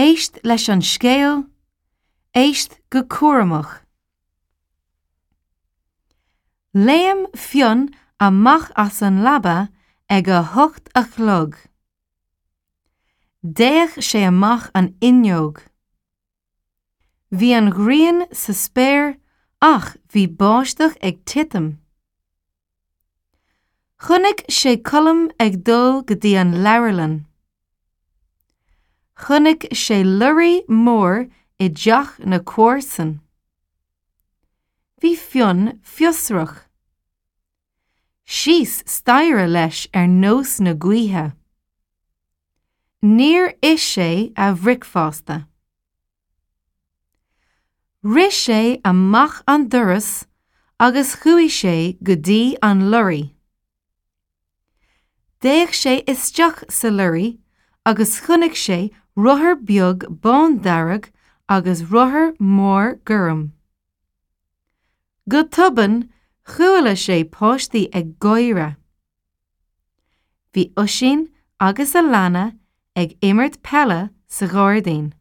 Éist leis an scéal, éist go cúramach. Léim Fionn amach as an leaba ag a hocht a chlog. D'fhéach sé amach an fhuinneog. Bhí an ghrian sa spéir ach bhí báisteach ag titim. Chonaic sé Colm ag dul go dtí an leabharlann. Chonaic sé lorraí mór i dteach na comharsan. Bhí Fionn fiosrach. Síos staighre leis ar nós na gaoithe. Níor ith sé a bhricfeasta. Rith sé amach an doras agus chuaigh sé go dtí an lorraí. D'fhéach sé isteach sa lorraí agus chonaic sé rothar beag bándearg agus rothar mór gorm. Go tobann chuala sé páistí ag gáire. Bhí Oisín agus Alana ag imirt peile sa ghairdín.